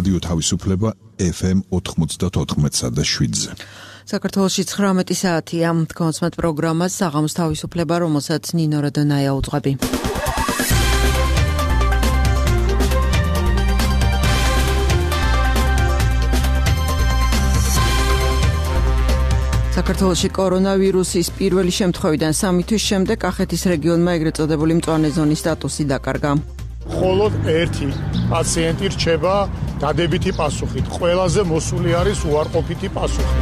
რადიო თავისუფლება FM 94.7-ზე. საქართველოში 19 საათია. კონსმეთ პროგრამას საღამოს თავისუფლება, რომელსაც ნინო როდონაია უძღვები. საქართველოში კორონავირუსის პირველი შემთხვევიდან 3 თვის შემდეგ კახეთის რეგიონმა ეგრეთ წოდებული მწვანე ზონის სტატუსი დაკარგა. მხოლოდ ერთი პაციენტი რჩება დადებითი პასუხით. ყველაზე მოსული არის უარყოფითი პასუხი.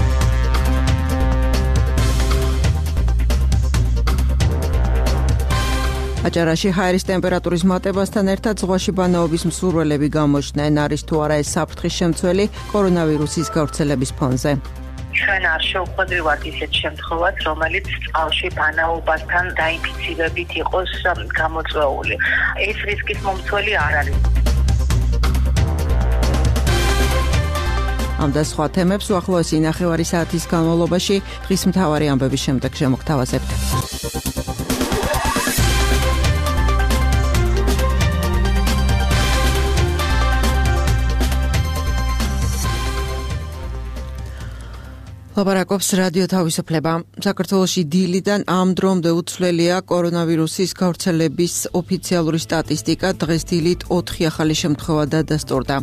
აჭარაში ჰაერის ტემპერატურის მატებასთან ერთად ზღვაში ბანაობის მსურველები გამოჩნდნენ. არის თუ არა ეს საფრთხის შემცველი კორონავირუსის გავრცელების ფონზე. ჩვენ არ შევხვდივართ ისეთ შემთხვევას, რომელიც წყალში ბანაობასთან დაინფიცირებით იყოს გამოწვეული. ეს რისკის მომცველი არ არის. ამ და სხვა თემებს უახლოესი ნახევარი საათის განმავლობაში დღის მთავარი ამბების შემდეგ შემოგთავაზებთ. ლაპარაკობს რადიო თავისუფლება. საქართველოში დილიდან ამ დრომდე უცვლელია კორონავირუსის გავრცელების ოფიციალური სტატისტიკა. დღეს დილით 4 ახალი შემთხვევა დადასტურდა.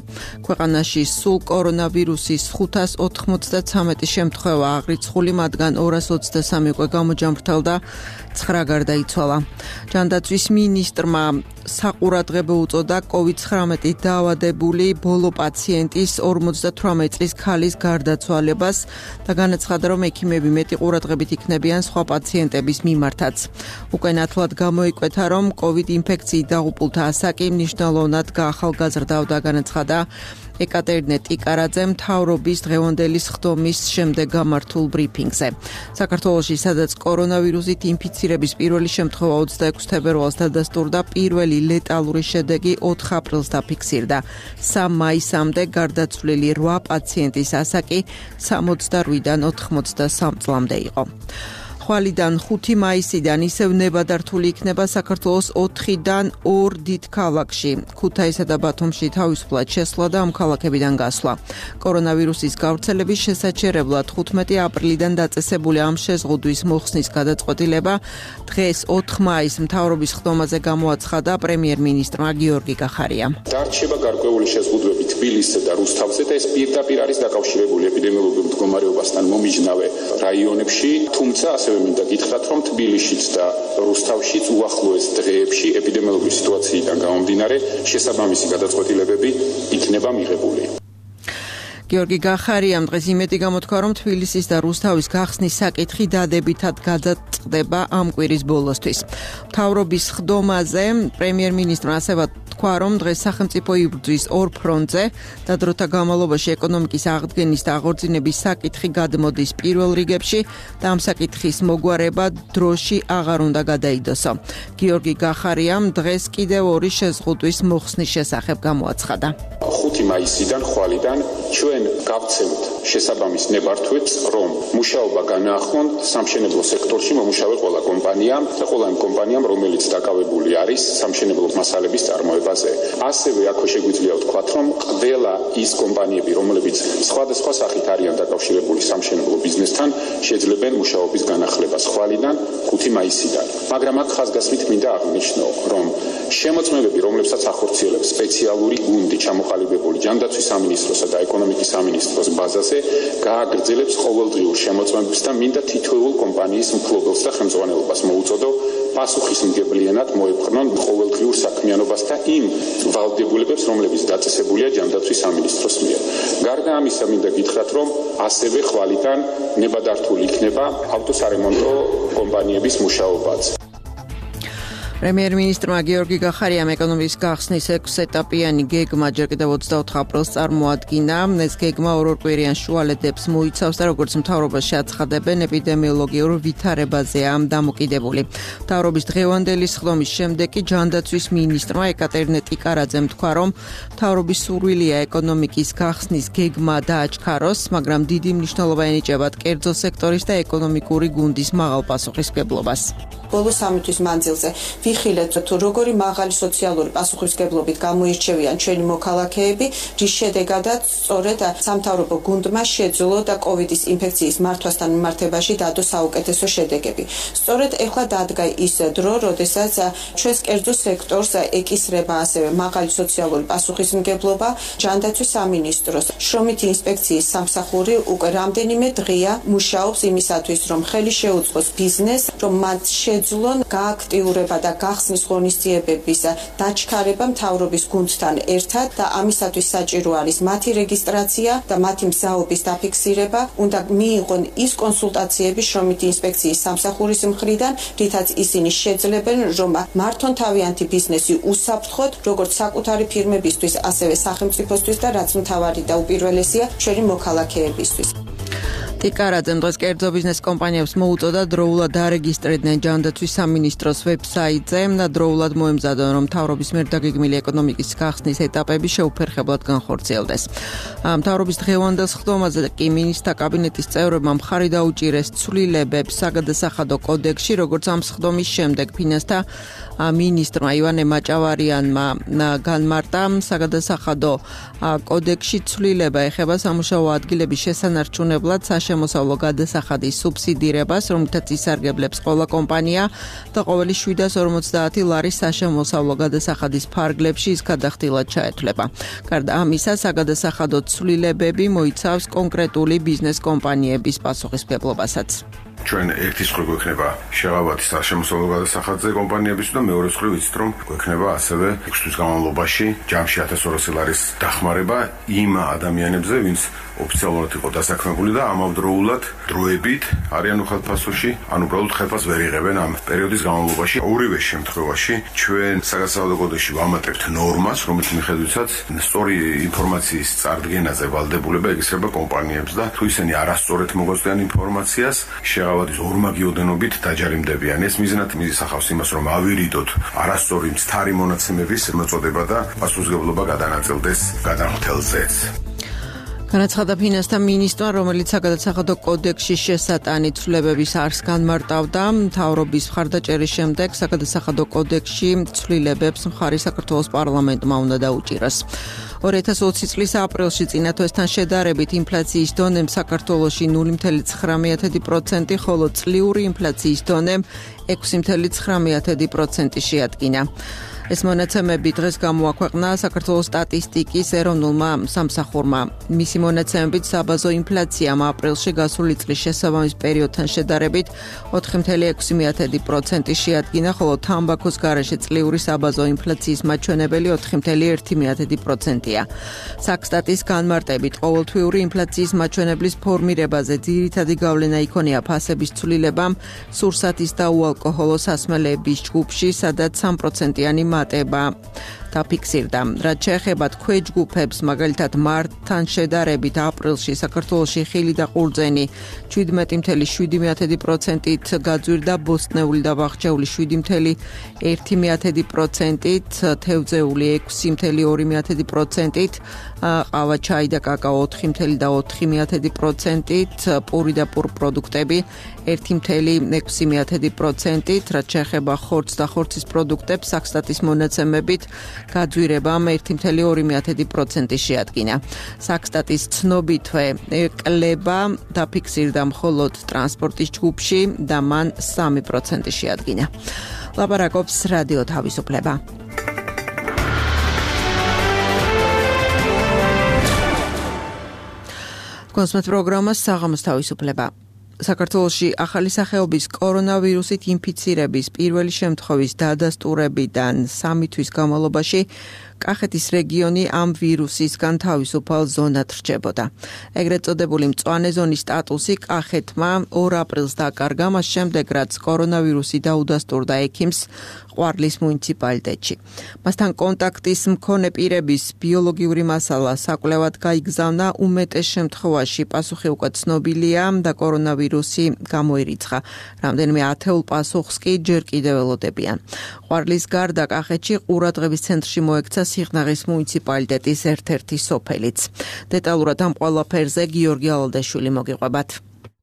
ქვეყანაში სულ კორონავირუსის 593 შემთხვევა აღრიცხული, მათგან 223 უკვე გამოჯამრთელდა, 9 გარდაიცვალა. ჯანდაცვის მინისტრმა საყურადღებო უწოდა COVID-19 დაავადებული ბოლო პაციენტის 58 წლის ქალის გარდაცვალებას და განაცხადა, რომ ექიმები მეტი ყურადღებით იქნებიან სხვა პაციენტების მიმართაც. უკვე ნათლად გამოიკვეთა, რომ COVID ინფექციით დაღუპულთა ასაკი მნიშვნელოვნად გაახალგაზრდა და განაცხადა ეკატერინე ტიკარაძე მთავრობის დღევანდელი სხდომის შემდეგ გამართულ ბრიფინგზე. საქართველოში, სადაც კორონავირუსით ინფიცირების პირველი შემთხვევა 26 თებერვალს დადასტურდა, პირველი ლეტალური შედეგი 4 აპრილს დაფიქსირდა. 3 მაისამდე გარდაცვლილი 8 პაციენტის ასაკი 68-დან 83 წლამდე იყო. ხვალიდან 5 მაისიდან ისევ ნებადართული იქნება საქართველოს 4-დან 2 დიდ ქალაქში. ქუთაისსა და ბათუმში თავისუფლად შესვლა და ამ ქალაქებიდან გასვლა. კორონავირუსის გავრცელების შესაჩერებლად 15 აპრილიდან დაწესებული ამ შეზღუდვის მოხსნის გადაწყვეტილება დღეს 4 მაისს მთავრობის ხდომაზე გამოაცხადა პრემიერ-მინისტრმა გიორგი კახარიამ. დარჩება გარკვეული შეზღუდვები თბილისსა და რუსთავზე და ეს პირდაპირ არის დაკავშირებული ეპიდემიოლოგიურ მდგომარეობასთან მომიჯნავე რაიონებში, თუმცა ასევე მინდა გითხრათ, რომ თბილისშიც და რუსთავშიც უახლოეს დღეებში ეპიდემიოლოგიური სიტუაციიდან გამომდინარე შესაბამისი გადაწყვეტილებები იქნება მიღებული. გიორგი კახარიამ დღეს იმედი გამოთქვა, რომ თბილისის და რუსთავის გახსნის საკითხი დადებითად გადაწყდება ამ კვირის ბოლოსთვის. მთავრობის ხდომაზე პრემიერ-მინისტრმა ასევე თქვა, რომ დღეს სახელმწიფო იბრძვის 2 ფრონტზე და დროთა განმავლობაში ეკონომიკის აღდგენის და აღორძინების საკითხი გადმოდის პირველ რიგებში და ამ საკითხის მოგვარება დროში აღარ უნდა გადაიდოსო. გიორგი კახარიამ დღეს კიდევ 2 შეზღუდვის მოხსნის შესახებ გამოაცხადა. 5 მაისიდან ხვალიდან ჩვენ გავცემთ შესაბამის ნებართვებს, რომ მუშაობა განაახლონ სამშენებლო სექტორში მომუშავე ყველა კომპანიამ და ყველა იმ კომპანიამ, რომელიც დაკავებული არის სამშენებლო მასალების წარმოებაზე. ასევე აქვე შეგვიძლია ვთქვათ, რომ ყველა ის კომპანიები, რომლებიც სხვადასხვა სახით არიან დაკავშირებული სამშენებლო ბიზნესთან, შეძლებენ მუშაობის განახლებას ხვალიდან 5 მაისიდან. მაგრამ აქ ხაზგასმით მინდა აღნიშნო, რომ შემოწმებები, რომლებსაც ახორციელებს სპეციალური გუნდი ჩამოყალიბებული ჯანდაცვის სამინისტროსა და ეკონომიკის სამინისტროს ბაზაზე, გააგრძელებს ყოველდღიურ შემოწმებებს და მინდა თითოეულ კომპანიის მფლობელს და ხელმძღვანელობას მოუწოდო პასუხისმგებლიანად მოეფხნონ ყოველდღიურ საქმიანობას და იმ ვალდებულებებს, რომლებიც დაწესებულია ჯანდაცვის სამინისტროს მიერ. გარდა ამისა, მინდა გითხრათ, რომ ასევე ხვალიდან ნებადართული იქნება ავტოსარემონტო კომპანიების მუშაობაც. პრემიერ-მინისტრმა გიორგი კახარიამ ეკონომიკის გახსნის 6 ეტაპიანი გეგმა ჯერ კიდევ 24 აპრილს წარმოადგინა. ეს გეგმა ორკვირიან შუალედებს მოიცავს და როგორც მთავრობაში აცხადებენ, ეპიდემიოლოგიურ ვითარებაზეა დამოკიდებული. მთავრობის დღევანდელი სხდომის შემდეგ კი ჯანდაცვის მინისტრმა ეკატერინე ტიკარაძემ თქვა, რომ მთავრობის სურვილია ეკონომიკის გახსნის გეგმა დააჩქაროს, მაგრამ დიდი მნიშვნელობა ენიჭება კერძო სექტორის და ეკონომიკური გუნდის მაღალ პასუხისმგებლობას. ბოლო 3 თვის მანძილზე ვიხილეთ თუ როგორი მაღალი სოციალური პასუხისმგებლობით გამოირჩევიან ჩვენი მოქალაქეები, რის შედეგადაც სწორედ სამთავრობო გუნდმა შეძლო და კოვიდის ინფექციის მართვასთან მიმართებაში დადო საუკეთესო შედეგები. სწორედ ეხლა დადგა ის დრო, როდესაც ჩვენს კერძო სექტორს ეკისრება ასევე მაღალი სოციალური პასუხისმგებლობა. ჯანდაცვის სამინისტროს შრომითი ინსპექციის სამსახური უკვე რამდენიმე დღეა მუშაობს იმისათვის, რომ ხელი შეუწყოს ბიზნესს, რომ მათ შეძლონ გააქტიურება და გახსნის ღონისძიებების დაჩქარება მთავრობის გუნდთან ერთად და ამისათვის საჭირო არის მათი რეგისტრაცია და მათი მგზავრობის დაფიქსირება. უნდა მიიღონ ის კონსულტაციები შრომითი ინსპექციის სამსახურის მხრიდან, რითაც ისინი შეძლებენ, რომ მართონ თავიანთი ბიზნესი უსაფრთხოდ, როგორც საკუთარი ფირმებისთვის, ასევე სახელმწიფოსთვის და რაც მთავარი და უპირველესია ჩვენი მოქალაქეებისთვის. ტიკარაძემ დღეს კერძო ბიზნეს კომპანიებს მოუწოდა დროულად დარეგისტრირდნენ ჯანდაცვის სამინისტროს ვებსაიტზე და დროულად მოემზადონ, რომ მთავრობის მიერ დაგეგმილი ეკონომიკის გახსნის ეტაპები შეუფერხებლად განხორციელდეს. მთავრობის დღევანდელ სხდომაზე კი მინისტრთა კაბინეტის წევრებმა მხარი დაუჭირეს ცვლილებებს საგადასახადო კოდექსში, როგორც ამ სხდომის შემდეგ ფინანსთა მინისტრმა ივანე მაჭავარიანმა განმარტა, საგადასახადო კოდექსში ცვლილება ეხება სამუშაო ადგილების შესანარჩუნებლად შემოსავლო გადასახადის სუბსიდირებას, რომლითაც ისარგებლებს ყველა კომპანია და ყოველი 750 ლარის საშემოსავლო გადასახადის ფარგლებში ის გადახდილად ჩაეთვლება. გარდა ამისა, საგადასახადო ცვლილებები მოიცავს კონკრეტული ბიზნეს კომპანიების პასუხისმგებლობასაც. ჩვენ ერთი მხრივ გვექნება შეღავათი საშემოსავლო გადასახადზე კომპანიების და მეორე მხრივ ვიცით, რომ გვექნება ასევე 6 თვის განმავლობაში ჯამში 1200 ლარის დახმარება იმ ადამიანებზე, ვინც ოფიციალურად იყო დასაქმებული და ამავდროულად დროებით არიან უხალხფასოში, ან უბრალოდ ხელფასს ვერ იღებენ ამ პერიოდის განმავლობაში. ორივე შემთხვევაში ჩვენ საგადასახადო კოდექსში ვამატებთ ნორმას, რომელიც მიხედვითაც სწორი ინფორმაციის წარდგენაზე ვალდებულება ეკისრება კომპანიებს და თუ ისინი არასწორად მოგვაწვდიან ინფორმაციას, შეღავათის ორმაგი ოდენობით დაჯარიმდებიან. ეს მიზნად მისახავს იმას, რომ ავირიდოთ არასწორი მცდარი მონაცემების მოწოდება და პასუხისმგებლობა გადანაწილდეს გადამხდელზეც. განაცხადა ფინანსთა მინისტრმა, რომელიც საგადასახადო კოდექსში შესატანი ცვლილებების არს განმარტავდა. მთავრობის მხარდაჭერის შემდეგ საგადასახადო კოდექსში ცვლილებებს მხარი საქართველოს პარლამენტმა უნდა დაუჭიროს. 2020 წლის აპრილში წინა თვესთან შედარებით ინფლაციის დონემ საქართველოში 0.9%, ხოლო წლიური ინფლაციის დონემ 6.9% შეადგინა. ეს მონაცემები დღეს გამოაქვეყნა საქართველოს სტატისტიკის ეროვნულმა სამსახურმა. მისი მონაცემებით საბაზო ინფლაციამ აპრილში გასული წლის შესაბამის პერიოდთან შედარებით 4.6% შეადგინა, ხოლო თამბაქოს გარეშე წლიური საბაზო ინფლაციის მაჩვენებელი 4.1%-ია. საქსტატის განმარტებით ყოველთვიური ინფლაციის მაჩვენებლის ფორმირებაზე ძირითადი გავლენა იქონია ფასების ცვლილებამ სურსათის და უალკოჰოლო სასმელების ჯგუფში, სადაც 3%-იანი მატება დაფიქსირდა. რაც შეეხება ქვეჯგუფებს, მაგალითად მარტთან შედარებით აპრილში საქართველოში ხილი და ყურძენი 17.7%-ით გაძვირდა, ბოსტნეული და ბაღჩეული 7.1%-ით, თევზეული 6.2%-ით, ყავა, ჩაი და კაკაო 4.4%-ით, პური და პურპროდუქტები 1.6%-ით, რაც შეეხება ხორცს და ხორცის პროდუქტებს, საქსტატის მონაცემებით გაძვირებამ 1.2% შეადგინა. საქსტატის ცნობითვე კლება დაფიქსირდა მხოლოდ ტრანსპორტის ჯგუფში და მან 3% შეადგინა. ლაპარაკობს რადიო თავისუფლება. კონსმეთ პროგრამას საღამოს თავისუფლება. საქართველოში ახალი სახეობის კორონავირუსით ინფიცირების პირველი შემთხვევის დადასტურებიდან 3 თვის განმავლობაში კახეთის რეგიონი ამ ვირუსისგან თავისუფალ ზონად რჩებოდა. ეგრეთ წოდებული მწვანე ზონის სტატუსი კახეთმა 2 აპრილს დაკარგა, მას შემდეგ რაც კორონავირუსი დაუდასტურდა ექიმს ყვარლის მუნიციპალიტეტში. მასთან კონტაქტის მქონე პირების ბიოლოგიური მასალა საკვლევად გაიგზავნა, უმეტეს შემთხვევაში პასუხი უკვე ცნობილია და კორონავირუსი გამოირიცხა. რამდენიმე ათეულ პასუხს კი ჯერ კიდევ ველოდებიან. ყვარლის გარდა კახეთში ყურადღების ცენტრში მოექცა სიღნაღის მუნიციპალიტეტის ერთ-ერთი სოფელიც. დეტალურად ამ ყველაფერზე გიორგი ალალდაშვილი მოგიყვებათ.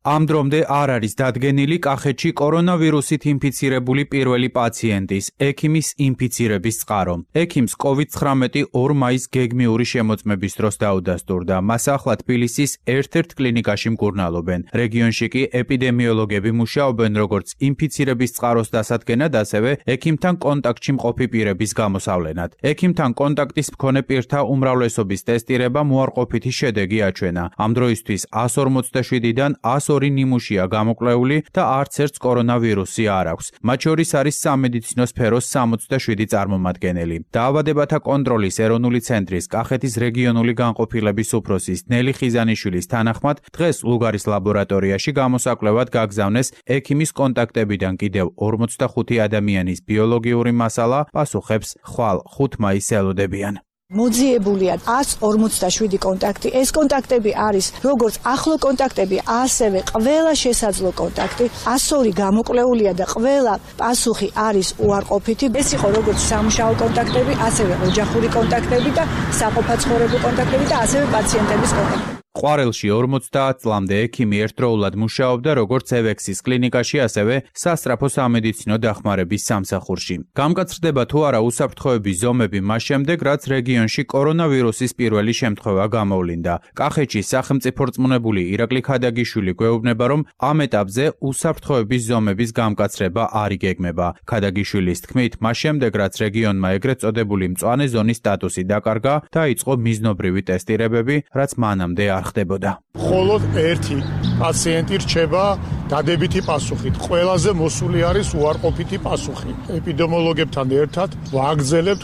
ამ დრომდე არ არის დადგენილი კახეთში კორონავირუსით ინფიცირებული პირველი პაციენტის, ექიმის ინფიცირების წყარო. ექიმს COVID-19 2 მაისს გეგმიური შემოწმების დროს დაუდასტურდა. მას ახლა თბილისის ერთ-ერთ კლინიკაში მკურნალობენ. რეგიონში კი ეპიდემიოლოგები მუშაობენ როგორც ინფიცირების წყაროს დასადგენად, ასევე ექიმთან კონტაქტში მყოფი პირების გამოსავლენად. ექიმთან კონტაქტის მქონე პირთა უმრავლესობის ტესტირება მოარყოფითი შედეგი აჩვენა. ამ დროისთვის 147-დან 102 ნიმუშია გამოკვლეული და არც ერთს კორონავირუსი არ აქვს. მათ შორის არის სამედიცინო სფეროს 67 წარმომადგენელი. დაავადებათა კონტროლის ეროვნული ცენტრის კახეთის რეგიონული განყოფილების უფროსის ნელი ხიზანიშვილის თანახმად, დღეს ლუგარის ლაბორატორიაში გამოსაკვლევად გაგზავნეს ექიმის კონტაქტებიდან კიდევ 45 ადამიანის ბიოლოგიური მასალა, პასუხებს ხვალ 5 მაისს ელოდებიან. მოძიებულია 147 კონტაქტი. ეს კონტაქტები არის როგორც ახლო კონტაქტები, ასევე ყველა შესაძლო კონტაქტი. 102 გამოკვლეულია და ყველა პასუხი არის უარყოფითი. ეს იყო როგორც სამუშაო კონტაქტები, ასევე ოჯახური კონტაქტები და საყოფაცხოვრებო კონტაქტები და ასევე პაციენტების კონტაქტები. ყვარელში 50 წლამდე ექიმი ერთდროულად მუშაობდა როგორც ევექსის კლინიკაში, ასევე სასწრაფო სამედიცინო დახმარების სამსახურში. გამკაცრდება თუ არა უსაფრთხოების ზომები მას შემდეგ, რაც რეგიონში კორონავირუსის პირველი შემთხვევა გამოვლინდა. კახეთში სახელმწიფო რწმუნებული ირაკლი ქადაგიშვილი გვეუბნება, რომ ამ ეტაპზე უსაფრთხოების ზომების გამკაცრება არ იგეგმება. ქადაგიშვილის თქმით, მას შემდეგ, რაც რეგიონმა ეგრეთ წოდებული მწვანე ზონის სტატუსი დაკარგა, დაიწყო მიზნობრივი ტესტირებები, რაც მანამდე არ ხდებოდა. მხოლოდ ერთი პაციენტი რჩება დადებითი პასუხით. ყველაზე მოსული არის უარყოფითი პასუხი. ეპიდემიოლოგებთან ერთად ვაგრძელებთ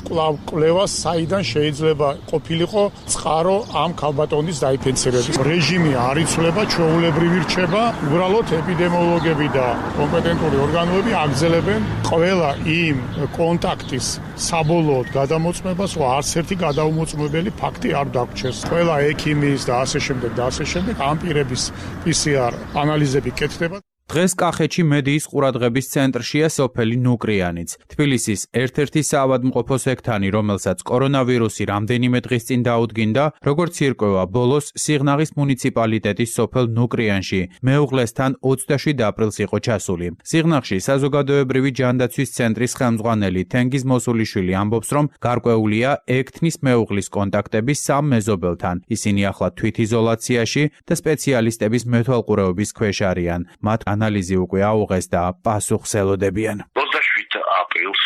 კვლევას, საიდან შეიძლება ყოფილიყო წყარო ამ ქალბატონის დაინფიცირების. რეჟიმი არ იცვლება, ჩვეულებრივი რჩება. უბრალოდ ეპიდემიოლოგები და კომპეტენტური ორგანოები აგრძელებენ ყველა იმ კონტაქტის საბოლოოდ გადამოწმებას, რომ არც ერთი გადაუმოწმებელი ფაქტი არ დაგვრჩეს. ყველა ექიმის და ასე შემდეგ და ასე შემდეგ ამ პირების PCR ანალიზები კეთდება. დღეს კახეთში მედიის ყურადღების ცენტრშია სოფელი ნუკრიანიც. თბილისის ერთ-ერთი საავადმყოფო სექტანი, რომელსაც კორონავირუსი რამდენიმე დღის წინ დაუდგინდა, როგორც ირკვევა, ბოლოს სიღნაღის მუნიციპალიტეტის სოფელ ნუკრიანში მეუღლესთან 27 აპრილს იყო ჩასული. სიღნაღში საზოგადოებრივი ჯანდაცვის ცენტრის ხელმძღვანელი თენგიზ მოსულიშვილი ამბობს, რომ გარკვეულია ექთნის მეუღლის კონტაქტები 3 მეზობელთან. ისინი ახლა თვითიზოლაციაში და სპეციალისტების მეთვალყურეობის ქვეშ არიან. მათ ანალიზი უკვე აუღეს და პასუხს ელოდებიან. 27 აპრილს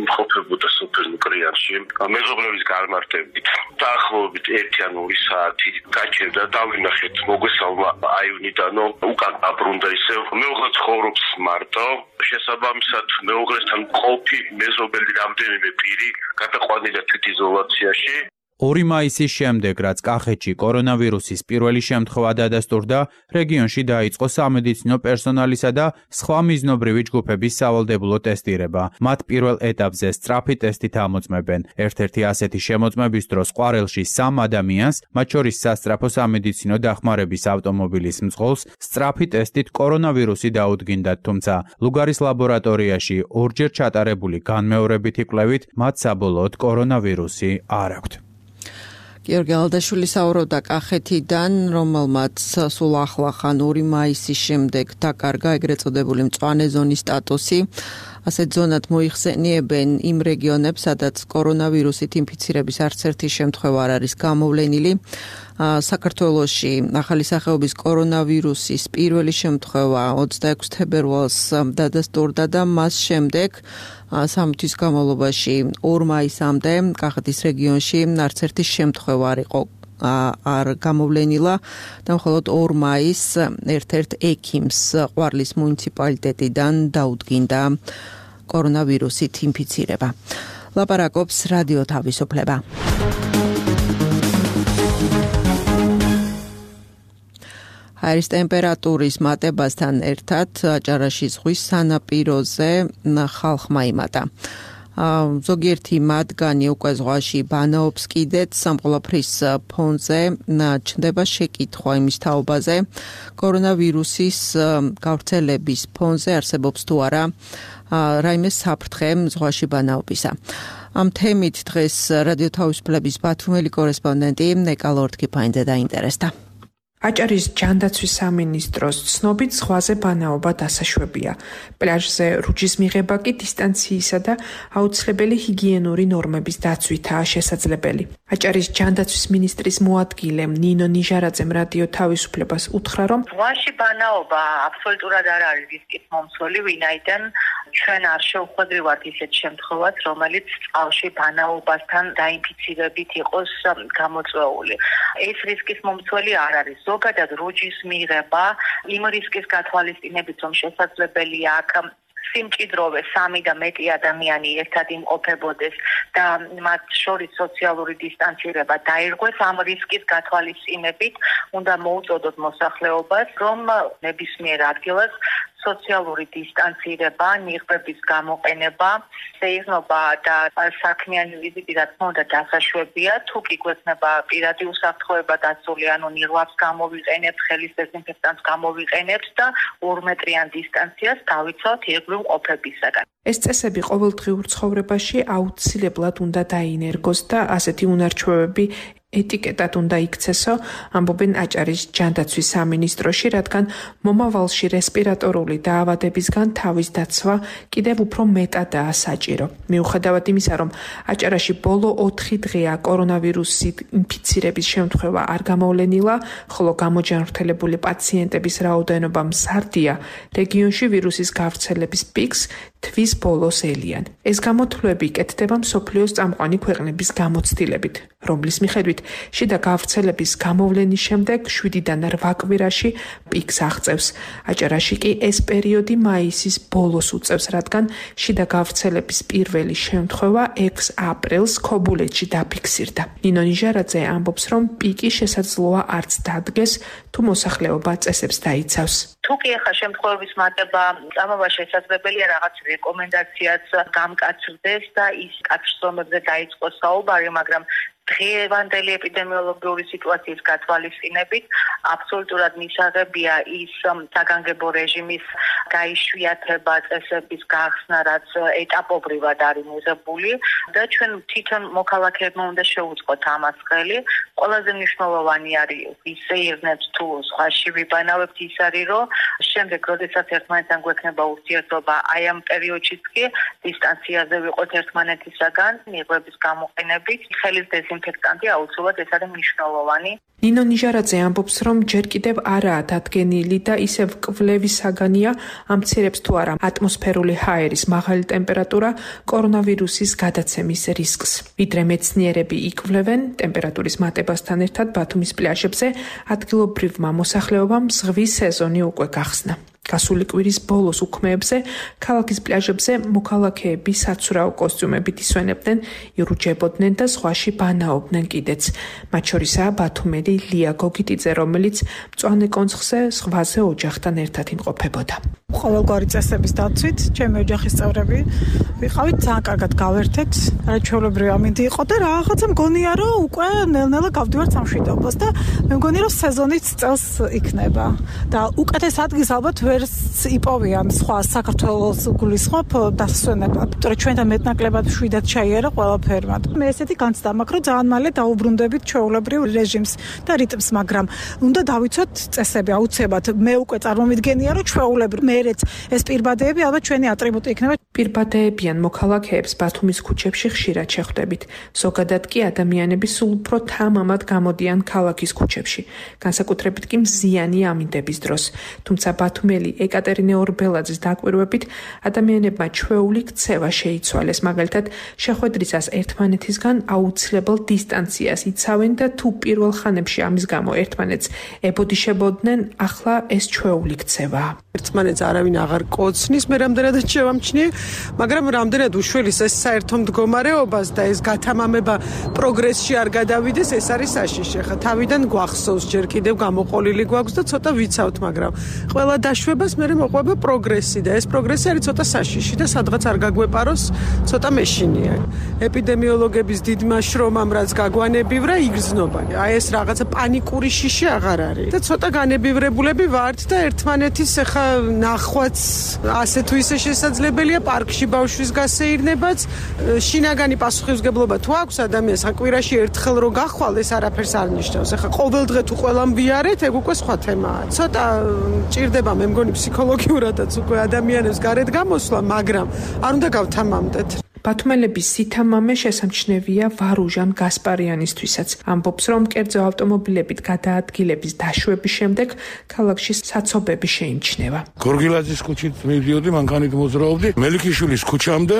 მყოფებოდა სოფელ ნუკრიანში მეზობლების განმარტებით. დაახლოებით 1-2 საათი გაჩერდა და დავინახეთ მოგვესალმა აივნიდანო უკან აბრუნდა ისევ. მეუღლე ცხოვრობს მარტო. შესაბამისად მეუღლესთან მყოფი მეზობელი რამდენიმე პირი გადაყვანილია თვითიზოლაციაში. 2 მაისის შემდეგ, რაც კახეთში კორონავირუსის პირველი შემთხვევა დადასტურდა, რეგიონში დაიწყო სამედიცინო პერსონალისა და სხვა მიზნობრივი ჯგუფების სავალდებულო ტესტირება. მათ პირველ ეტაპზე სწრაფი ტესტით ამოწმებენ. ერთ-ერთი ასეთი შემოწმების დროს ყვარელში 3 ადამიანს, მათ შორის სასწრაფო სამედიცინო დახმარების ავტომობილის მძღოლს, სწრაფი ტესტით კორონავირუსი დაუდგინდათ, თუმცა ლუგარის ლაბორატორიაში ორჯერ ჩატარებული განმეორებითი კვლევით მათ საბოლოოდ კორონავირუსი არ აქვთ. გიორგი ალდაშვილი საუბრობდა კახეთიდან, რომელმაც სულ ახლახან 2 მაისის შემდეგ დაკარგა ეგრეთ წოდებული მწვანე ზონის სტატუსი. ასეთ ზონად მოიხსენიებენ იმ რეგიონებს, სადაც კორონავირუსით ინფიცირების არც ერთი შემთხვევა არ არის გამოვლენილი. საქართველოში ახალი სახეობის კორონავირუსის პირველი შემთხვევა 26 თებერვალს დადასტურდა და მას შემდეგ 3 თვის განმავლობაში 2 მაისამდე კახეთის რეგიონში არც ერთი შემთხვევა არ იყო არ გამოვლენილა და მხოლოდ 2 მაისს ერთ-ერთ ექიმს ყვარლის მუნიციპალიტეტიდან დაუდგინდა კორონავირუსით ინფიცირება. ლაპარაკობს რადიო თავისუფლება. ჰაერის ტემპერატურის მატებასთან ერთად აჭარაში ზღვის სანაპიროზე ხალხმა იმატა. ზოგიერთი მათგანი უკვე ზღვაში ბანაობს კიდეც, სამყოლაფრის ფონზე ჩნდება შეკითხვა იმის თაობაზე, კორონავირუსის გავრცელების ფონზე არსებობს თუ არა რაიმე საფრთხე ზღვაში ბანაობისა. ამ თემით დღეს რადიო თავისუფლების ბათუმელი კორესპონდენტი ნეკა ლორდ-კიფაინძე დაინტერესდა. აჭარის ჯანდაცვის სამინისტროს ცნობით ზღვაზე ბანაობა დასაშვებია. პლაჟზე რუჯის მიღება კი დისტანციისა და აუცილებელი ჰიგიენური ნორმების დაცვითაა შესაძლებელი. აჭარის ჯანდაცვის მინისტრის მოადგილე ნინო ნიჟარაძემ რადიო თავისუფლებას უთხრა, რომ ზღვაში ბანაობა აბსოლუტურად არ არის რისკის მომცველი, ვინაიდან ჩვენ არ შევხვედრივართ ისეთ შემთხვევას, რომელიც წყალში ბანაობასთან დაინფიცირებით იყოს გამოწვეული. ეს რისკის მომცველი არ არის. ზოგადად რუჯის მიღება იმ რისკის გათვალისწინებით, რომ შესაძლებელია აქ სიმჭიდროვე 3 და მეტი ადამიანი ერთად იმყოფებოდეს და მათ შორის სოციალური დისტანცირება დაირღვეს, ამ რისკის გათვალისწინებით უნდა მოუწოდოთ მოსახლეობას, რომ ნებისმიერ ადგილას სოციალური დისტანცირება, ნიღბების გამოყენება, სეირნობა და საქმიანი ვიზიტი რა თქმა უნდა დასაშვებია, თუ კი გვექნება პირადი უსაფრთხოება დაცული, ანუ ნიღბებს გამოვიყენებთ, ხელის დეზინფექტანტს გამოვიყენებთ და 2 მეტრიან დისტანციას დავიცავთ ირგვლივ ყოფებისაგან. ეს წესები ყოველდღიურ ცხოვრებაში აუცილებლად უნდა დაინერგოს და ასეთი უნარჩვევები ეტიკეტად უნდა იქცესო, ამბობენ აჭარის ჯანდაცვის სამინისტროში, რადგან მომავალში რესპირატორული დაავადებისგან თავის დაცვა კიდევ უფრო მეტადაა საჭირო. მიუხედავად იმისა, რომ აჭარაში ბოლო 4 დღეა კორონავირუსით ინფიცირების შემთხვევა არ გამოვლენილა, ხოლო გამოჯანმრთელებული პაციენტების რაოდენობა მზარდია, რეგიონში ვირუსის გავრცელების პიკს თვის ბოლოს ელიან. ეს გამოთვლები კეთდება მსოფლიოს წამყვანი ქვეყნების გამოცდილებით, რომლის მიხედვით შიდა გავრცელების გამოვლენის შემდეგ 7-დან 8 კვირაში პიკს აღწევს. აჭარაში კი ეს პერიოდი მაისის ბოლოს უწევს, რადგან შიდა გავრცელების პირველი შემთხვევა 6 აპრილს ქობულეთში დაფიქსირდა. ნინო ნიჟარაძე ამბობს, რომ პიკი შესაძლოა არც დადგეს, თუ მოსახლეობა წესებს დაიცავს. თუ კი ახლა შემთხვევების მატება წამოვა შესაძლებელია, რაღაც რეკომენდაციაც გამკაცრდეს და ის კაცრომებზე დაიწყოს საუბარი, მაგრამ დღევანდელი ეპიდემიოლოგიური სიტუაციის გათვალისწინებით აბსოლუტურად მისაღებია ის საგანგებო რეჟიმის გაიშვიათება, წესების გახსნა, რაც ეტაპობრივად არის მიღებული და ჩვენ თვითონ მოქალაქეებმა უნდა შევუწყოთ ამას ხელი. ყველაზე მნიშვნელოვანი არის ვისეირნებთ თუ სხვაში ვიბანავებთ, ის არის, რომ შემდეგ, როდესაც ერთმანეთთან გვექნება ურთიერთობა, აი ამ პერიოდშიც კი დისტანციაზე ვიყოთ ერთმანეთისაგან, ნიღბების გამოყენებით, ხელის დეზინფექტანტი აუცილებლად ეს არის მნიშვნელოვანი. ნინო ნიჟარაძე ამბობს, რომ ჯერ კიდევ არაა დადგენილი და ისევ კვლევის საგანია ამცირებს თუ არა ატმოსფერული ჰაერის მაღალი ტემპერატურა კორონავირუსის გადაცემის რისკს. ვიდრე მეცნიერები იკვლევენ ტემპერატურის მატებასთან ერთად ბათუმის პლაჟებზე ადგილობრივმა მოსახლეობამ ზღვის სეზონი უკვე გახსნა. გასული კვირის ბოლოს უქმეებზე ქალაქის პლაჟებზე მოქალაქეები საცურაო კოსტიუმებით ისვენებდნენ, ირუჯებოდნენ და ზღვაში ბანაობდნენ კიდეც. მათ შორისაა ბათუმელი ლია გოგიტიძე, რომელიც მწვანე კონცხზე ზღვაზე ოჯახთან ერთად იმყოფებოდა. ყოველგვარი წესების დაცვით, ჩემი ოჯახის წევრები ვიყავით, ძალიან კარგად გავერთეთ, არაჩვეულებრივი ამინდი იყო და რაღაცა მგონია, რომ უკვე ნელ-ნელა გავდივართ სამშვიდობოს და მე მგონი, რომ სეზონიც წელს იქნება და უკეთეს ადგილს ალბათ ვერც იპოვიან სხვა საქართველოს გულისხმობ დასვენებლად. თორე ჩვენთან მეტნაკლებად შვიდად ჩაიერა ყველაფერმა. მე ესეთი განცდა მაქვს, რომ ძალიან მალე დაუბრუნდებით ჩვეულებრივ რეჟიმს და რიტმს, მაგრამ უნდა დავიცოთ წესები აუცილებლად. მე უკვე წარმომიდგენია, რომ ჩვეულებრივ მერეც ეს პირბადეები ალბათ ჩვენი ატრიბუტი იქნება. პირბადეებიან მოქალაქეებს ბათუმის ქუჩებში ხშირად შეხვდებით. ზოგადად კი ადამიანები სულ უფრო თამამად გამოდიან ქალაქის ქუჩებში. განსაკუთრებით კი მზიანი ამინდების დროს. თუმცა ბათუმელი ეკატერინე ორბელაძის დაკვირვებით ადამიანებმა ჩვეული ქცევა შეიცვალეს. მაგალითად, შეხვედრისას ერთმანეთისგან აუცილებელ დისტანციას იცავენ და თუ პირველ ხანებში ამის გამო ერთმანეთს ებოდიშებოდნენ, ახლა ეს ჩვეული ქცევაა. ერთმანეთს არავინ აღარ კოცნის, მე რამდენადაც შევამჩნიე, მაგრამ რამდენად უშველის ეს საერთო მდგომარეობას და ეს გათამამება პროგრესში არ გადავიდეს, ეს არის საშიში. ხა თავიდან გვახსოვს, ჯერ კიდევ გამოყოლილი გვაქვს და ცოტა ვიცავთ, მაგრამ ყველა დაშვებას მე მოყვება პროგრესი და ეს პროგრესი არის ცოტა საშიში და სადღაც არ გაგვეპაროს, ცოტა მეშინია. ეპიდემიოლოგების დიდმა შრომამ რაც გაგვანებივრა, იგრძნობა. აი ეს რაღაცა პანიკური შიში აღარ არის და ცოტა განებივრებულები ვართ და ერთმანეთის ხა გახვაც ასე თუ ისე შესაძლებელია პარკში ბავშვის გასეირნებაც. შინაგანი პასუხისმგებლობა თუ აქვს ადამიანს, კვირაში ერთხელ რო გახვალ, ეს არაფერს არ ნიშნავს. ეხლა ყოველ დღე თუ ყველამ ვიარეთ, ეგ უკვე სხვა თემაა. ცოტა ჭირდება მე მგონი ფსიქოლოგიურადაც უკვე ადამიანებს გარეთ გამოსვლა, მაგრამ არ უნდა გავთამამდეთ. ბათუმელების სითამამე შესამჩნევია ვარუჟან გასპარიანისთვისაც. ამბობს, რომ კერძო ავტომობილებით გადაადგილების დაშვების შემდეგ ქალაქში საცობები შეიმჩნევა. გორგილაძის ქუჩით მივდიოდი, მანქანით მოძრაობდი, მელიქიშვილის ქუჩამდე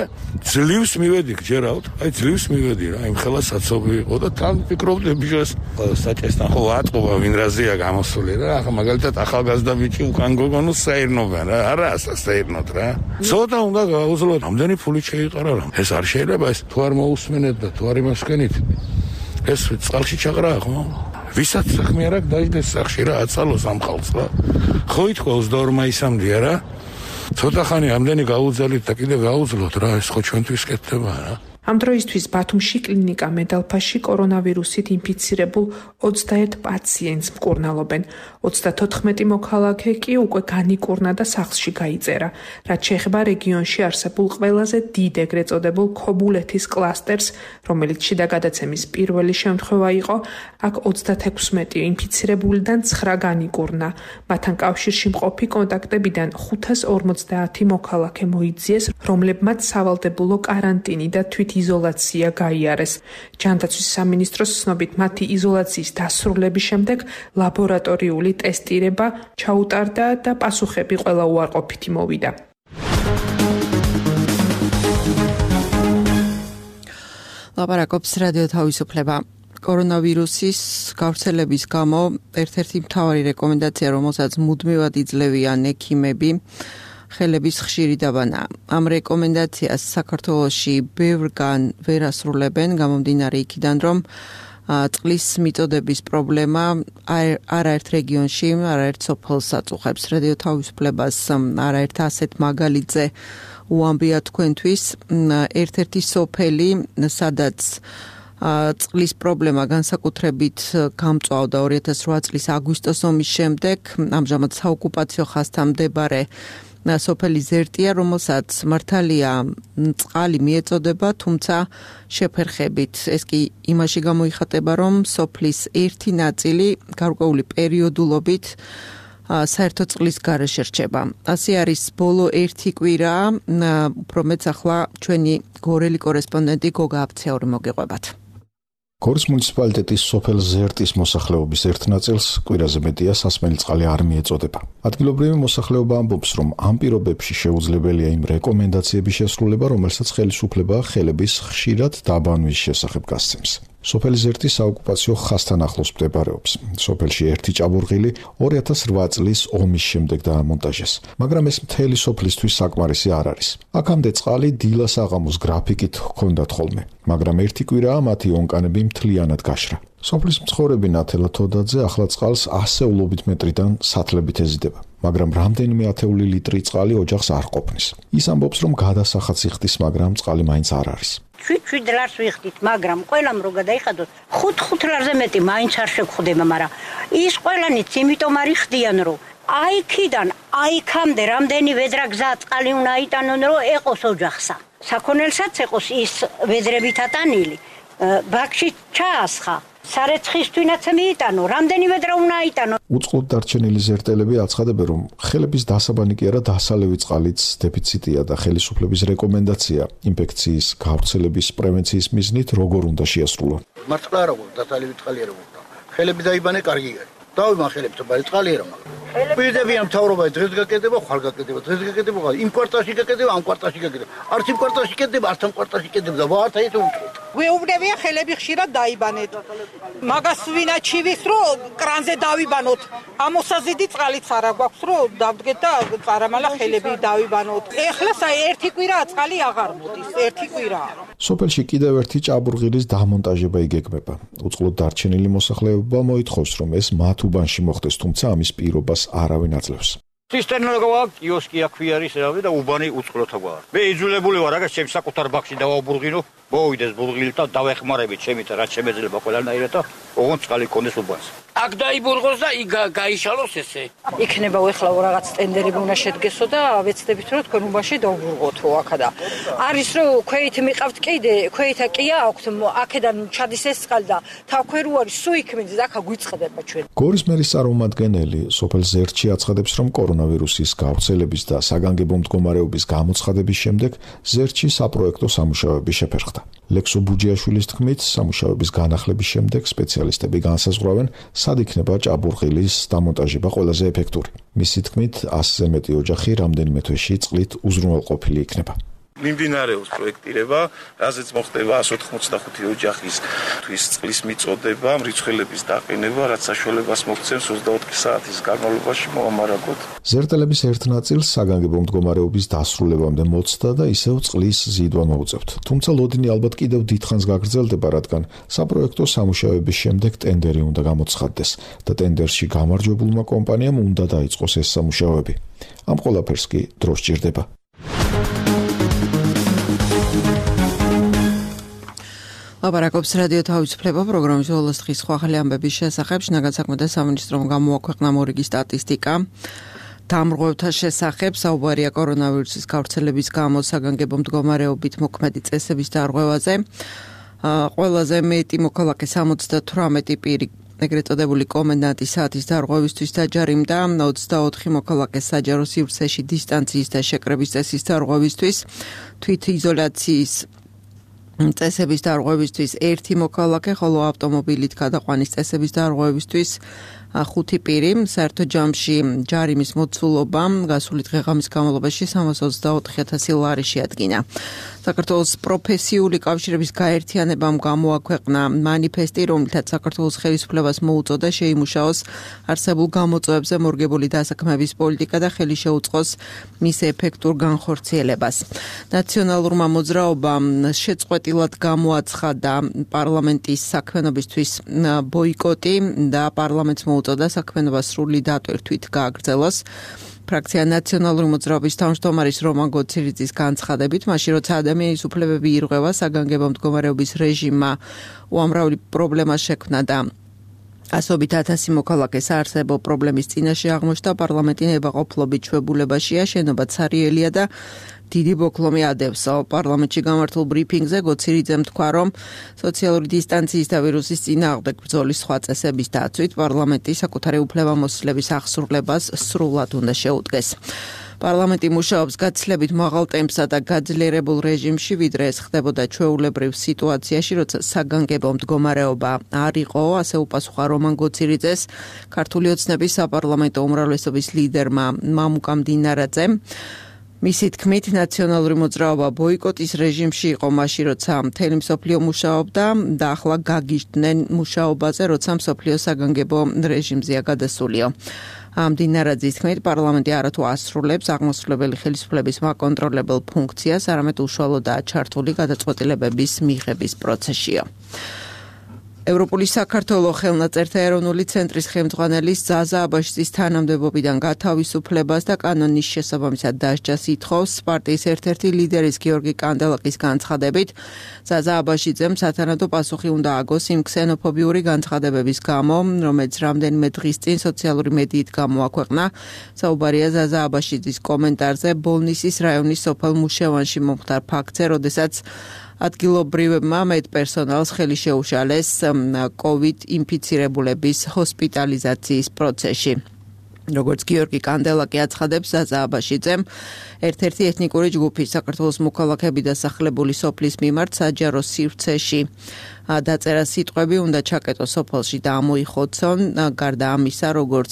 ძლივს მივედი, გჯერავთ, ძლივს მივედი რა, იმ ხელა საცობი იყო და თან ფიქრობდი ბიჭას საჭესთან ხო ატყობა ვინ რაზეა გამოსული რა, ახლა მაგალითად ახალგაზრდა ბიჭი უკან გოგონოს საერნობენ რა, არა საერნოთ რა. ცოტა უნდა გაუძლოთ, ამდენი ფული შეიყარა რა. ეს არ შეიძლება ეს თუ არ მოусმენეთ და თუ არ იმასკენით ეს წყალში ჩაყრაა ხო? ვისაც საქმე არ აქვს დაიდეს სახში რა აცალოს ამ ხალხს რა. ხო ითქვა 22 მაისამდეა რა. ცოტა ხანი ამდენი გაუძალით და კიდე გაუძლოთ რა ეს ხო ჩვენთვის კეთდება რა. ამ დროისთვის ბათუმში კლინიკა მედალფაში კორონავირუსით ინფიცირებულ 21 პაციენტს მკურნალობენ. 34 მოქალაქე კი უკვე განიკურნა და სახლში გაიწერა. რაც შეეხება რეგიონში არსებულ ყველაზე დიდ ეგრეთ წოდებულ ქობულეთის კლასტერს, რომელიც შიდა გადაცემის პირველი შემთხვევა იყო, აქ 36 ინფიცირებულიდან 9 განიკურნა. მათთან კავშირში მყოფი კონტაქტებიდან 550 მოქალაქე მოიძიეს, რომლებმაც სავალდებულო კარანტინი და იზოლაცია გაიარეს. ჯანდაცვის სამინისტროს ცნობით მათი იზოლაციის დასრულების შემდეგ ლაბორატორიული ტესტირება ჩაუტარდა და პასუხები ყველა უარყოფითი მოვიდა. ლაპარაკობს რადიო თავისუფლება. კორონავირუსის გავრცელების გამო ერთ-ერთი მთავარი რეკომენდაცია, რომელსაც მუდმივად იძლევიან ექიმები, ხელების ხშირი დაბანა. ამ რეკომენდაციას საქართველოში ბევრგან ვერ ასრულებენ, გამომდინარე იქიდან, რომ წყლის მიწოდების პრობლემა არაერთ რეგიონში, არაერთ სოფელს აწუხებს. რადიო თავისუფლებას არაერთ ასეთ მაგალითზე უამბია თქვენთვის. ერთ-ერთი სოფელი, სადაც წყლის პრობლემა განსაკუთრებით გამწვავდა 2008 წლის აგვისტოს ომის შემდეგ, ამჟამად საოკუპაციო ხაზთან მდებარე სოფელი ზერტია, რომელსაც მართალია წყალი მიეწოდება, თუმცა შეფერხებით. ეს კი იმაში გამოიხატება, რომ სოფლის ერთი ნაწილი გარკვეული პერიოდულობით საერთო წყლის გარეშე რჩება. ასე არის ბოლო ერთი კვირა, უფრო მეც ახლა ჩვენი გორელი კორესპონდენტი გოგა აფცეური მოგეყვებათ. გორის მუნიციპალიტეტის სოფელ ზერტის მოსახლეობის ერთ ნაწილს კვირაზე მეტია სასმელი წყალი არ მიეწოდება. ადგილობრივი მოსახლეობა ამბობს, რომ ამ პირობებში შეუძლებელია იმ რეკომენდაციების შესრულება, რომელსაც ხელისუფლება ხელების ხშირად დაბანვის შესახებ გასცემს. სოფელი ზერტი საოკუპაციო ხაზთან ახლოს მდებარეობს. სოფელში ერთი ჭაბურღილი 2008 წლის ომის შემდეგ დაამონტაჟეს, მაგრამ ეს მთელი სოფლისთვის საკმარისი არ არის. აქამდე წყალი დილას აღამოს გრაფიკით ჰქონდათ ხოლმე, მაგრამ ერთი კვირაა მათი ონკანები მთლიანად გაშრა. სოფლის მცხოვრები ნათელა თოდაძე ახლა წყალს ასეულობით მეტრიდან სათლებით ეზიდება, მაგრამ რამდენიმე ათეული ლიტრი წყალი ოჯახს არ ყოფნის. ის ამბობს, რომ გადასახადს იხდის, მაგრამ წყალი მაინც არ არის. 7 ლარს ვიხდით, მაგრამ ყველამ რო გადაიხადოთ 5 ლარზე მეტი მაინც არ შეგხვდება, მაგრამ ის ყველანიც იმიტომ არ იხდიან, რომ აიქიდან აიქამდე რამდენი ვედრა გზა წყალი უნდა იტანონ, რომ ეყოს ოჯახსა. საქონელსაც ეყოს ის ვედრებით ატანილი, ბაქში ჩაასხა. სარეცხისთვინაც მიიტანო, რამდენი ვედრა უნდა აიტანო. უწყლოდ დარჩენილი ზერტელები აცხადებენ, რომ ხელების დასაბანი კი არა, დასალევი წყალიც დეფიციტია და ხელისუფლების რეკომენდაცია ინფექციის გავრცელების პრევენციის მიზნით როგორ უნდა შეასრულონ. მართლა არა გქონდა დასალევი წყალი არა გქონდა. ხელები დაიბანე კარგი არის. დავიმან ხელებს თბარი წყალი არა მაგრამ. პირდებიან მთავრობა დღეს გაკეთდება, ხვალ გაკეთდება, დღეს გაკეთდება, იმ კვარტალში გაკეთდება, ამ კვარტალში გაკეთდება. არც იმ კვარტალში გაკეთდება, არც ამ კვარტალში გაკეთდება და ვართ ეს უწყლოდ. ვეუბნებია ხელები ხშირად დაიბანეთ. მაგას ვინაჩივის რომ კრანზე დავიბანოთ. ამოსაზიდი წყალიც არა გვაქვს რომ დავდგეთ და წარამალა ხელები დავიბანოთ. ეხლა ერთი კვირაა წყალი აღარ მოდის, ერთი კვირაა. სოფელში კიდევ ერთი ჭაბურღილის დამონტაჟება იგეგმება. უწყლოდ დარჩენილი მოსახლეობა მოითხოვს, რომ ეს მათ უბანში მოხდეს, თუმცა ამის პირობას არავინ აძლევს. ცისტერნა გაქვს, კიოსკი აქ ვიარის რავი და უბანი უწყლოთა გვაქვს. მე იძულებული ვარ რაღაც ჩემს საკუთარ ბაქში დავაუბრღინო, მოვიდეს ბულღილი და დავეხმარებით ჩემით რაც შემეძლება ყველანაირად და ოღონდ წყალი კონდეს უბანს. აქ დაიბურღოს და იქ გაიშალოს ესე. იქნება ეხლა რაღაც ტენდერები უნდა შედგესო და ვეცდებით რომ თქვენ უბანში დავურღოთ აქა და არის რომ ქვეით მიყავთ კიდე ქვეითა კი აქვთ აქედან ჩადის ეს წყალი და თავქვე არის სუ იქ მიდის აქა გვიწყდება ჩვენ. გორის მერის წარმომადგენელი სოფელ ზერთში აცხადებს რომ კორონავირუსის გავრცელების და საგანგებო მდგომარეობის გამოცხადების შემდეგ ზერთში საპროექტო სამუშაოები შეფერხდა. ლექსო ბუჯიაშვილის თქმით, სამუშაოების განახლების შემდეგ სპეციალისტები განსაზღვრავენ, სად იქნება ჭაბურღილის დამონტაჟება ყველაზე ეფექტური. მისი თქმით, 100-ზე მეტი ოჯახი რამდენიმე თვეში წყლით უზრუნველყოფილი იქნება. მიმდინარეობს პროექტირება, რაზეც მოხდება 185 ოჯახის თვის წყლის მიწოდება, მრიცხველების დაყენება, რაც საშუალებას მოგცემს 24 საათის განმავლობაში მოამარაგოთ. ზერტელების ერთ ნაწილს საგანგებო მდგომარეობის დასრულებამდე მოცდა და ისევ წყლის ზიდვა მოუწევთ. თუმცა ლოდინი ალბათ კიდევ დიდხანს გაგრძელდება, რადგან საპროექტო სამუშაოების შემდეგ ტენდერი უნდა გამოცხადდეს და ტენდერში გამარჯვებულმა კომპანიამ უნდა დაიწყოს ეს სამუშაოები. ამ ყველაფერს კი დრო სჭირდება. ლაპარაკობს რადიო თავისუფლება პროგრამის ოლოს დღის ახალი ამბების შესახებ. შინაგან საქმეთა სამინისტრომ გამოაქვეყნა მორიგი სტატისტიკა. დამრღვევთა შესახებ საუბარია კორონავირუსის გავრცელების გამო საგანგებო მდგომარეობით მოქმედი წესების დარღვევაზე. ყველაზე მეტი მოქალაქე 78 პირი ეგრეთ წოდებული კომენდანტის საათის დარღვევისთვის დაჯარიმდა, 24 მოქალაქე საჯარო სივრცეში დისტანციის და შეკრების წესის დარღვევისთვის, თვითიზოლაციის წესების დარღვევისთვის 1 მოქალაქე, ხოლო ავტომობილით გადაყვანის წესების დარღვევისთვის 5 პირი. საერთო ჯამში ჯარიმის მოცულობა გასული დღე-ღამის განმავლობაში 324,000 ლარი შეადგინა. საქართველოს პროფესიული კავშირების გაერთიანებამ გამოაქვეყნა მანიფესტი, რომლითაც საქართველოს ხელისუფლებას მოუწოდა შეიმუშაოს არსებულ გამოწვევებზე მორგებული დასაქმების პოლიტიკა და ხელი შეუწყოს მის ეფექტურ განხორციელებას. ნაციონალურმა მოძრაობამ შეწყვეტილად გამოაცხადა პარლამენტის საქმიანობისთვის ბოიკოტი და პარლამენტს მოუწოდა საქმიანობა სრული დატვირთვით გააგრძელოს. ფრაქცია ნაციონალური მოძრაობის თავმჯდომარის რომან გოცირიძის განცხადებით, მაშინ როცა ადამიანის უფლებები ირღვევა, საგანგებო მდგომარეობის რეჟიმმა უამრავი პრობლემა შექმნა და ასობით 1000 მოქალაქეს არსებო პრობლემის წინაშე აღმოჩნდა. პარლამენტი ნებაყოფლობით ჩვეულებაშია, შენობა ცარიელია და დიდი ბოკლომი ადევს. პარლამენტში გამართულ ბრიფინგზე გოცირიძემ თქვა, რომ სოციალური დისტანციის და ვირუსის წინააღმდეგ ბრძოლის სხვა წესების დაცვით პარლამენტი საკუთარი უფლებამოსილების აღსრულებას სრულად უნდა შეუდგეს. პარლამენტი მუშაობს გაცილებით მაღალ ტემპსა და გაძლიერებულ რეჟიმში, ვიდრე ეს ხდებოდა ჩვეულებრივ სიტუაციაში, როცა საგანგებო მდგომარეობა არ იყო, ასე უპასუხა რომან გოცირიძეს ქართული ოცნების საპარლამენტო უმრავლესობის ლიდერმა მამუკამ დინარაძემ. მისი თქმით, ნაციონალური მოძრაობა ბოიკოტის რეჟიმში იყო მაშინ, როცა მთელი მსოფლიო მუშაობდა და ახლა გაგიჟდნენ მუშაობაზე, როცა მსოფლიო საგანგებო რეჟიმზეა გადასულიო. დინარაძის თქმით, პარლამენტი არათუ ასრულებს აღმასრულებელი ხელისუფლების მაკონტროლებელ ფუნქციას, არამედ უშუალოდაა ჩართული გადაწყვეტილებების მიღების პროცესშიო. ევროპული საქართველოს ხელნაწერთა ეროვნული ცენტრის ხელმძღვანელის ზაზა აბაშიძის თანამდებობიდან გათავისუფლებას და კანონის შესაბამისად დასჯას ითხოვს პარტიის ერთ-ერთი ლიდერის გიორგი კანდელაკის განცხადებით. ზაზა აბაშიძემ სათანადო პასუხი უნდა აგოს იმ ქსენოფობიური განცხადებების გამო, რომელიც რამდენიმე დღის წინ სოციალური მედიით გამოაქვეყნა. საუბარია ზაზა აბაშიძის კომენტარზე ბოლნისის რაიონის სოფელ მუშევანში მომხდარ ფაქტზე, როდესაც ადგილობრივებმა მედპერსონალს ხელი შეუშალეს COVID ინფიცირებულების ჰოსპიტალიზაციის პროცესში. როგორც გიორგი კანდელაკი აცხადებს, ზაზა აბაშიძემ ერთ-ერთი ეთნიკური ჯგუფის საქართველოს მოქალაქეები დასახლებული სოფლის მიმართ საჯარო სივრცეში დაწერა სიტყვები უნდა ჩაკეტო სოფელში და ამოიხოცონ. გარდა ამისა, როგორც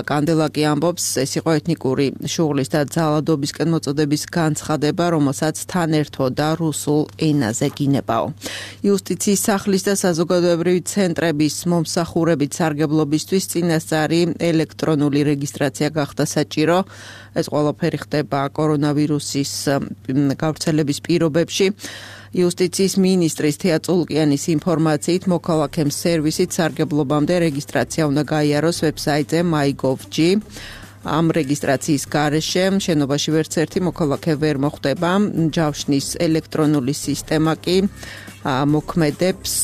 კანდელაკი ამბობს, ეს იყო ეთნიკური შუღლის და ძალადობისკენ მოწოდების განცხადება, რომელსაც თან ერთვოდა რუსულ ენაზე გინებაო. იუსტიციის სახლის და საზოგადოებრივი ცენტრების მომსახურებით სარგებლობისთვის წინასწარი ელექტრონული რეგისტრაცია გახდა საჭირო. ეს ყველაფერი ხდება კორონავირუსის გავრცელების პირობებში. იუსტიციის მინისტრის თეა წულკიანის ინფორმაციით, მოქალაქემ სერვისით სარგებლობამდე რეგისტრაცია უნდა გაიაროს ვებსაიტზე my.gov.g. ამ რეგისტრაციის გარეშე შენობაში ვერც ერთი მოქალაქე ვერ მოხვდება. ჯავშნის ელექტრონული სისტემა კი მოქმედებს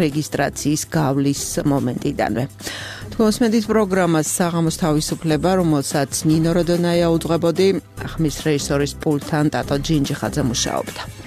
რეგისტრაციის გავლის მომენტიდანვე. თქოსმედით პროგრამას საღამოს თავისუფლება, რომელსაც ნინო როდონაია უძღვებოდი, ხმის რეჟისორის პულტთან ტატო ჯინჯიხაძე მუშაობდა.